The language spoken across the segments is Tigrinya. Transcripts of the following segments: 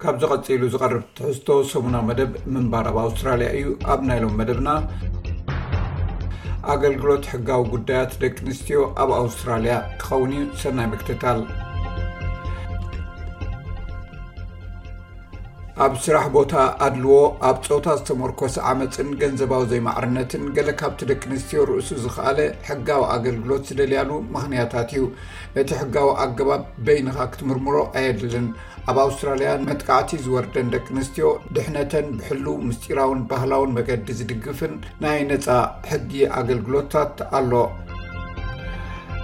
ካብዚ ቀጺሉ ዝቐርብ ትሕዝቶ ሰሙናዊ መደብ ምንባር ኣብ ኣውስትራልያ እዩ። ኣብ ናይ ሎም መደብና፣ ኣገልግሎት ሕጋዊ ጉዳያት ደቂ ኣንስትዮ ኣብ ኣውስትራልያ ክኸውን እዩ። ሰናይ ምክትታል። ኣብ ስራሕ ቦታ ኣድልዎ፣ ኣብ ጾታ ዝተመርኮሰ ዓመጽን ገንዘባዊ ዘይማዕርነትን ገለ ካብቲ ደቂ ኣንስትዮ ርእሱ ዝኸኣለ ሕጋዊ ኣገልግሎት ዝደልያሉ ምኽንያታት እዩ። ነቲ ሕጋዊ ኣገባብ በይንኻ ክትምርምሮ ኣየድልን። ኣብ ኣውስትራልያ መጥቃዕቲ ዝወርደን ደቂ ኣንስትዮ ድሕነተን ብሕሉው ምስጢራውን ባህላውን መገዲ ዝድግፍን ናይ ነጻ ሕጊ ኣገልግሎታት ኣሎ።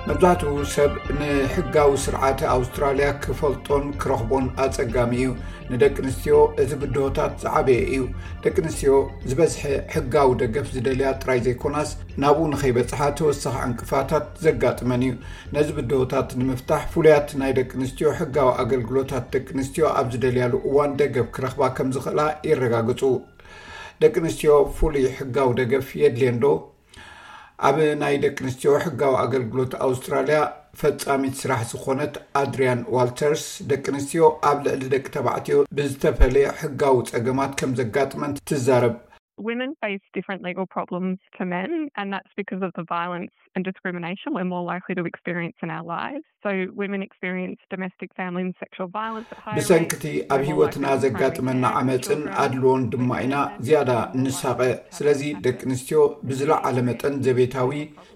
መብዛሕትኡ ሰብ ንሕጋዊ ስርዓት ኣውስትራልያ ክፈልጦን ክረኽቦን ኣጸጋሚ እዩ። ንደቂ ኣንስትዮ እቲ ብድሆታት ዝዓበየ እዩ። ደቂ ኣንስትዮ ዝበዝሐ ሕጋዊ ደገፍ ዝደልያ ጥራይ ዘይኮናስ፣ ናብኡ ንኸይበጽሓ ተወሳኺ ዕንቅፋታት ዘጋጥመን እዩ። ነዚ ብድሆታት ንምፍታሕ፣ ፍሉያት ናይ ደቂ ኣንስትዮ ሕጋዊ ኣገልግሎታት ደቂ ኣንስትዮ ኣብ ዝደልያሉ እዋን ደገፍ ክረኽባ ከም ዝኽእላ የረጋግጹ። ደቂ ኣንስትዮ ፍሉይ ሕጋዊ ደገፍ የድልየን ዶ? ኣብ ናይ ደቂ ኣንስትዮ ሕጋዊ ኣገልግሎት ኣውስትራልያ ፈጻሚት ስራሕ ዝኾነት ኣድሪያን ዋልተርስ፣ ደቂ ኣንስትዮ ኣብ ልዕሊ ደቂ ተባዕትዮ ብዝተፈለየ ሕጋዊ ጸገማት ከም ዘጋጥመን ትዛረብ። Women face different legal problems to men, and that's because of the violence and discrimination we're more likely to experience in our lives. So women experience domestic, family and sexual violence at higher rates. ብሰንክቲ ኣብ ህይወትና ዘጋጥመና ዓመጽን ኣድልዎን ድማ ኢና ዝያዳ እንሳቐ። ስለዚ ደቂ ኣንስትዮ ብዝለዓለ መጠን ዘቤታዊ፣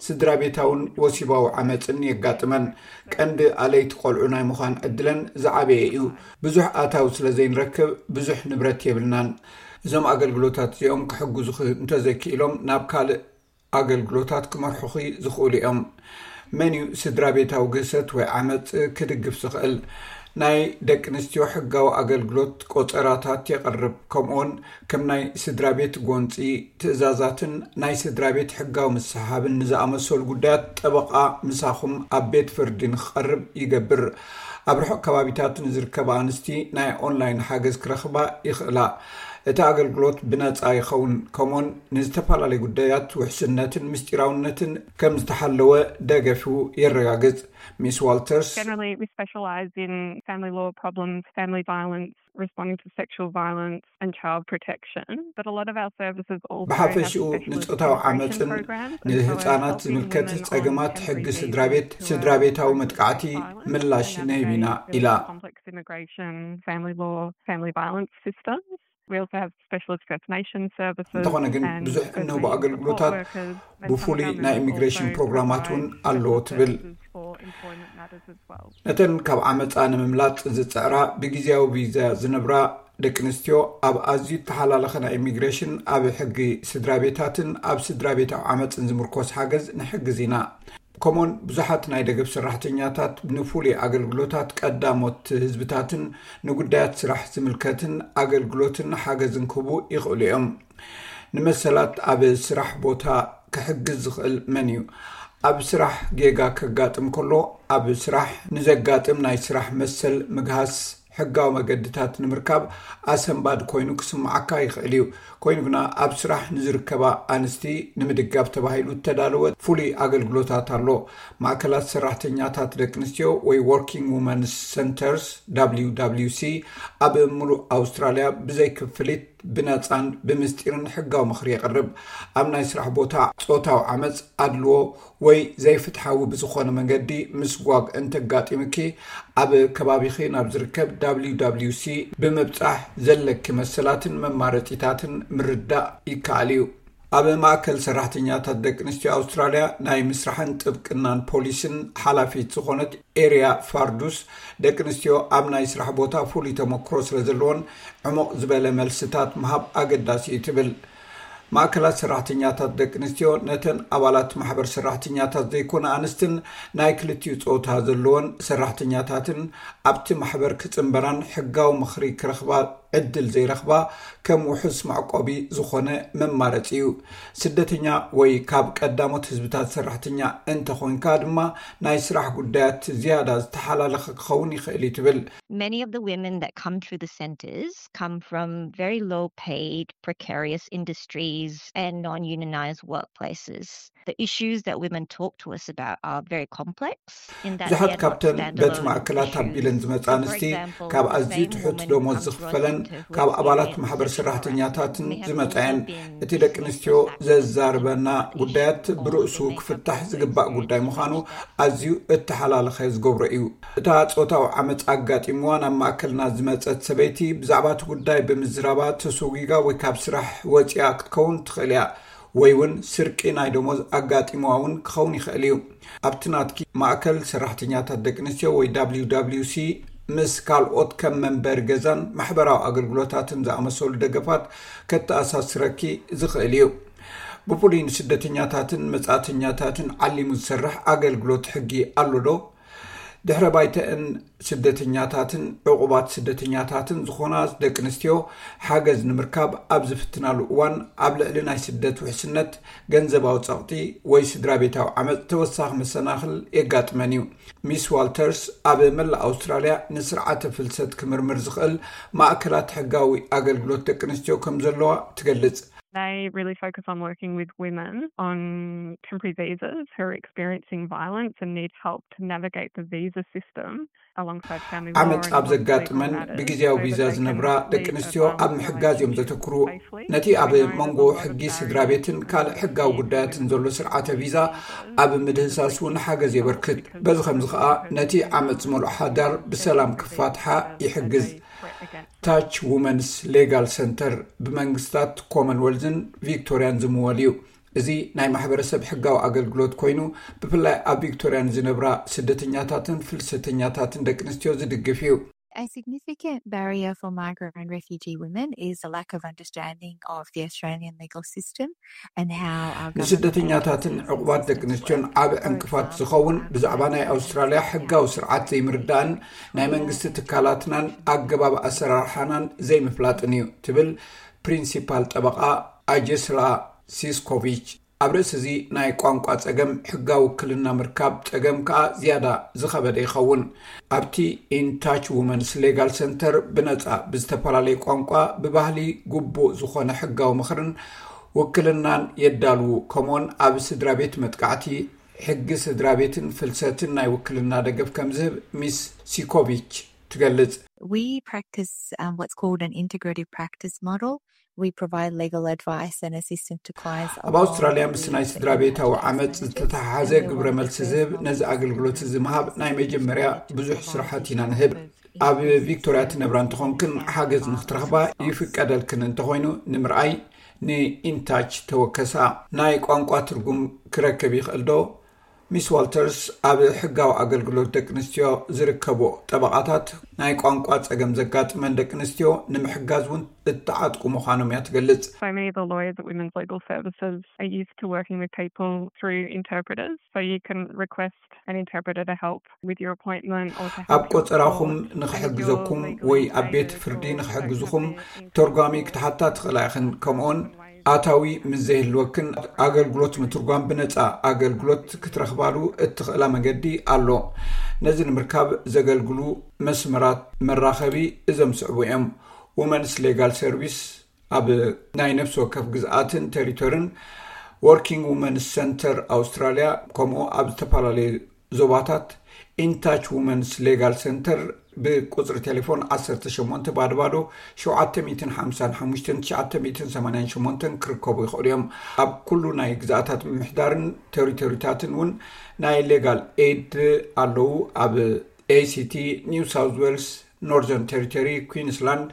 ስድራ ቤታውን ወሲባዊ ዓመጽን የጋጥመን። ቀንዲ ኣለይቲ ቆልዑ ናይ ምዃን ዕድለን ዝዓበየ እዩ። ብዙሕ ኣታዊ ስለ ዘይንረክብ ብዙሕ ንብረት የብልናን። እዞም ኣገልግሎታት እዚኦም ክሕግዙኺ እንተዘይክኢሎም ናብ ካልእ ኣገልግሎታት ክመርሑኺ ዝኽእሉ እዮም። መን እዩ ስድራ ቤታዊ ግህሰት ወይ ዓመጽ ክድግፍ ዝኽእል? ናይ ደቂ ኣንስትዮ ሕጋዊ ኣገልግሎት ቆጸራታት የቕርብ። ከምኡውን ከም ናይ ስድራ ቤት ጎንጺ ትእዛዛትን ናይ ስድራ ቤት ሕጋዊ ምስሓብን ንዝኣመሰሉ ጉዳያት ጠበቓ ምሳኹም ኣብ ቤት ፍርዲ ንክቐርብ ይገብር። ኣብ ርሑቕ ከባቢታት ንዝርከባ ኣንስቲ ናይ ኦንላይን ሓገዝ ክረኽባ ይኽእላ። እቲ ኣገልግሎት ብነጻ ይኸውን፣ ከምኡውን ንዝተፈላለዩ ጉዳያት ውሕስነትን ምስጢራውነትን ከም ዝተሓለወ ደገፉ የረጋግጽ። ሚስ ዋልተርስ፣ Generally, we specialise in family law problems, family violence, responding to sexual violence and child protection. But a lot of our services also have ብሓፈሽኡ specialist ንጾታዊ integration ዓመጽን programs and ንህጻናት ዝምልከት ጸገማት ሕጊ ስድራ ቤት፣ ስድራ ቤታዊ መጥቃዕቲ ምላሽ ነህብ ኢና ኢላ። Complex immigration, family law, family violence systems. We also have specialist First Nations services. እንተኾነ ግን ብዙሕ እንህቦ ኣገልግሎታት ብፍሉይ ናይ ኢሚግሬሽን ፕሮግራማት እውን ኣለዎ ትብል። ነተን ካብ ዓመጻ ንምምላጥ ዝጽዕራ ብግዜያዊ ቪዛ ዝነብራ ደቂ ኣንስትዮ ኣብ ኣዝዩ እተሓላለኸ ናይ ኢሚግሬሽን፣ ኣብ ሕጊ ስድራ ቤታትን ኣብ ስድራ ቤታዊ ዓመጽን ዝምርኮስ ሓገዝ ንሕግዝ ኢና። ከምኡውን ብዙሓት ናይ ደገፍ ሰራሕተኛታት ንፍሉይ ኣገልግሎታት ቀዳሞት ህዝብታትን ንጉዳያት ስራሕ ዝምልከትን ኣገልግሎትን ሓገዝን ክህቡ ይኽእሉ እዮም። ንመሰላት ኣብ ስራሕ ቦታ ክሕግዝ ዝኽእል መን እዩ? ኣብ ስራሕ ጌጋ ከጋጥም ከሎ፣ ኣብ ስራሕ ንዘጋጥም ናይ ስራሕ መሰል ምግሃስ ሕጋዊ መገድታት ንምርካብ ኣሰንባዲ ኮይኑ ክስምዓካ ይኽእል እዩ። ኮይኑ ግና ኣብ ስራሕ ንዝርከባ ኣንስቲ ንምድጋፍ ተባሂሉ እተዳለወ ፍሉይ ኣገልግሎታት ኣሎ። ማእከላት ሰራሕተኛታት ደቂ ኣንስትዮ ወይ Working Women's Centres፣ W W C፣ ኣብ ምሉእ ኣውስትራልያ ብዘይ ክፍሊት ብነጻን ብምስጢርን ሕጋዊ ምኽሪ የቕርብ። ኣብ ናይ ስራሕ ቦታ ጾታዊ ዓመጽ፣ ኣድልዎ ወይ ዘይፍትሓዊ ብዝኾነ መንገዲ ምስጓግ እንተጋጢምኪ፣ ኣብ ከባቢኺ ናብ ዝርከብ W W C ብምብጻሕ ዘለኪ መሰላትን መማረጺታትን ምርዳእ ይከኣል እዩ። ኣብ ማእከል ሰራሕተኛታት ደቂ ኣንስትዮ ኣውስትራልያ ናይ ምስራሕን ጥብቅናን ፖሊስን ሓላፊት ዝኾነት ኤርያ ፋርዱስ፣ ደቂ ኣንስትዮ ኣብ ናይ ስራሕ ቦታ ፍሉይ ተመክሮ ስለ ዘለወን፣ ዕሙቕ ዝበለ መልስታት ምሃብ ኣገዳሲ እዩ ትብል። ማእከላት ሰራሕተኛታት ደቂ ኣንስትዮ ነተን ኣባላት ማሕበር ሰራሕተኛታት ዘይኮነ ኣንስትን ናይ ክልቲኡ ጾታ ዘለወን ሰራሕተኛታትን ኣብቲ ማሕበር ክጽንበራን ሕጋዊ ምኽሪ ክረኽባ ዕድል ዘይረኽባ ከም ውሑስ መዕቆቢ ዝኾነ መማረፂ እዩ። ስደተኛ ወይ ካብ ቀዳሞት ህዝብታት ሰራሕተኛ እንተኾንካ ድማ ናይ ስራሕ ጉዳያት ዝያዳ ዝተሓላለኸ ክኸውን ይኽእል እዩ ትብል። Many of the women that come through the centres come from very low paid, precarious industries and non unionised workplaces. The issues that women talk to us about are very complex. ብዙሓት ካብተን በቲ ማእከላት ኣቢለን ዝመፃ ኣንስቲ ካብ ኣዝዩ ትሑት ደሞዝ ዝኽፈለን ካብ ኣባላት ማሕበር ሰራሕተኛታትን ዝመፃየን። እቲ ደቂ ኣንስትዮ ዘዛርበና ጉዳያት ብርእሱ ክፍታሕ ዝግባእ ጉዳይ ምዃኑ ኣዝዩ እተሓላለኸ ዝገብሮ እዩ። እታ ፆታዊ ዓመፅ ኣጋጢምዋ ናብ ማእከልና ዝመፀት ሰበይቲ ብዛዕባ እቲ ጉዳይ ብምዝራባ ተሰጒጋ ወይ ካብ ስራሕ ወፂኣ ክትከውን ትኽእል እያ። ወይ እውን ስርቂ ናይ ደሞዝ ኣጋጢምዋ እውን ክኸውን ይኽእል እዩ። ኣብቲ ናትኪ ማእከል ሰራሕተኛታት ደቂ ኣንስትዮ ወይ WWC ምስ ካልኦት ከም መንበሪ ገዛን ማሕበራዊ ኣገልግሎታትን ዝኣመሰሉ ደገፋት ከተኣሳስረኪ ዝኽእል እዩ። ብፍሉይ ንስደተኛታትን መጻእተኛታትን ዓሊሙ ዝሰርሕ ኣገልግሎት ሕጊ ኣሎ ዶ? ድሕረ ባይተእን ስደተኛታትን ዕቑባት ስደተኛታትን ዝኾና ደቂ ኣንስትዮ ሓገዝ ንምርካብ ኣብ ዝፍትናሉ እዋን ኣብ ልዕሊ ናይ ስደት ውሕስነት፣ ገንዘባዊ ጸቕጢ ወይ ስድራ ቤታዊ ዓመጽ ተወሳኺ መሰናኽል የጋጥመን እዩ። ሚስ ዋልተርስ ኣብ መላእ ኣውስትራልያ ንስርዓተ ፍልሰት ክምርምር ዝኽእል ማእከላት ሕጋዊ ኣገልግሎት ደቂ ኣንስትዮ ከም ዘለዋ ትገልጽ። They really focus on working with women on temporary visas who are experiencing violence and need help to navigate the visa system. ዓመፅ ኣብ ዘጋጥመን ብግዜያዊ ቪዛ ዝነብራ ደቂ ኣንስትዮ ኣብ ምሕጋዝ እዮም ዘተክሩ። ነቲ ኣብ መንጎ ሕጊ ስድራ ቤትን ካልእ ሕጋዊ ጉዳያትን ዘሎ ስርዓተ ቪዛ ኣብ ምድህሳስ እውን ሓገዝ የበርክት። በዚ ከምዚ ከዓ ነቲ ዓመፅ ዝመልኦ ሓዳር ብሰላም ክፋትሓ ይሕግዝ። ታች ውመንስ ሌጋል ሰንተር ብመንግስታት ኮመንወልዝን ቪክቶርያን ዝምወል እዩ። እዚ ናይ ማሕበረሰብ ሕጋዊ ኣገልግሎት ኮይኑ ብፍላይ ኣብ ቪክቶርያ ንዝነብራ ስደተኛታትን ፍልሰተኛታትን ደቂ ኣንስትዮ ዝድግፍ እዩ። A significant barrier for migrant and refugee women is a lack of understanding of the Australian legal system and how our ንስደተኛታትን ዕቑባት ደቂ ኣንስትዮን ዓብ ዕንቅፋት ዝኸውን ብዛዕባ ናይ ኣውስትራልያ ሕጋዊ ስርዓት ዘይምርዳእን ናይ መንግስቲ ትካላትናን ኣገባብ ኣሰራርሓናን ዘይምፍላጥን እዩ ትብል ፕሪንሲፓል ጠበቓ ኣጀስላ ሲስኮቪች። ኣብ ርእሲ እዚ ናይ ቋንቋ ጸገም ሕጋዊ ውክልና ምርካብ ጸገም ከኣ ዝያዳ ዝኸበደ ይኸውን። ኣብቲ ኢንታች ውመንስ ሌጋል ሰንተር ብነጻ ብዝተፈላለየ ቋንቋ ብባህሊ ግቡእ ዝኾነ ሕጋዊ ምኽርን ውክልናን የዳልዉ። ከምኡውን ኣብ ስድራ ቤት መጥቃዕቲ ሕጊ ስድራ ቤትን ፍልሰትን ናይ ውክልና ደገፍ ከም ዝህብ ሚስ ሲኮቪች ትገልጽ። We practice um, what's called an integrative practice model. We provide legal advice and assistance to clients. ኣብ ኣውስትራልያ ምስ ናይ ስድራ ቤታዊ ዓመፅ ዝተተሓሓዘ ግብረ መልሲ ዝህብ ነዚ ኣገልግሎት እዚ ምሃብ ናይ መጀመርያ ብዙሕ ስራሓት ኢና ንህብ። ኣብ ቪክቶርያ ትነብራ እንተኾንክን ሓገዝ ንክትረኽባ ይፍቀደልክን እንተኾይኑ ንምርኣይ ንኢንታች ተወከሳ። ናይ ቋንቋ ትርጉም ክረክብ ይኽእል ዶ? ሚስ ዋልተርስ ኣብ ሕጋዊ ኣገልግሎት ደቂ ኣንስትዮ ዝርከቡ ጠበቓታት ናይ ቋንቋ ጸገም ዘጋጥመን ደቂ ኣንስትዮ ንምሕጋዝ እውን እተዓጥቁ ምዃኖም እያ ትገልጽ። So many of the lawyers at Women's Legal Services are used to working with people through interpreters, so you can request an interpreter to help with your appointment or to help ኣብ ቆጸራኹም ንኽሕግዘኩም ወይ ኣብ ቤት ፍርዲ ንኽሕግዝኹም ተርጓሚ ክትሓታ ትኽእላ ኢኽን። ከምኡውን ኣታዊ ምስ ዘይህልወክን ኣገልግሎት ምትርጓም ብነጻ ኣገልግሎት ክትረኽባሉ እትኽእላ መገዲ ኣሎ። ነዚ ንምርካብ ዘገልግሉ መስመራት መራኸቢ እዞም ዝስዕቡ እዮም። ውመንስ ሌጋል ሰርቪስ ኣብ ናይ ነፍሲ ወከፍ ግዝኣትን ቴሪቶርን፣ ወርኪንግ ውመንስ ሰንተር ኣውስትራልያ፣ ከምኡ ኣብ ዝተፈላለዩ ዞባታት ኢንታች ውመንስ ሌጋል ሰንተር ብቁፅሪ ቴሌፎን ዓሰርተ ሸሞንተ ባዶ ባዶ ሸውዓተ ሚእትን ሓምሳን ሓሙሽተን ትሽዓተ ሚእትን ሰማንያን ሸሞንተን ክርከቡ ይኽእሉ እዮም። ኣብ ኩሉ ናይ ግዝኣታት ምምሕዳርን ቴሪቶሪታትን እውን ናይ ሌጋል ኤድ ኣለዉ። ኣብ ACT፣ ኒው ሳውዝ ዌልስ፣ ኖርዘርን ቴሪቶሪ፣ ኩዊንስላንድ፣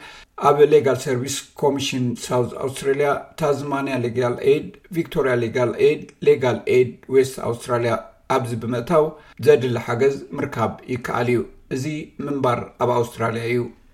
ኣብ ሌጋል ሰርቪስ ኮሚሽን ሳውዝ ኣውስትራልያ፣ ታዝማንያ ሌጋል ኤድ፣ ቪክቶርያ ሌጋል ኤድ፣ ሌጋል ኤድ ዌስት ኣውስትራልያ ኣብዚ ብምእታው ዘድሊ ሓገዝ ምርካብ ይከኣል እዩ። እዚ ምንባር ኣብ ኣውስትራልያ እዩ።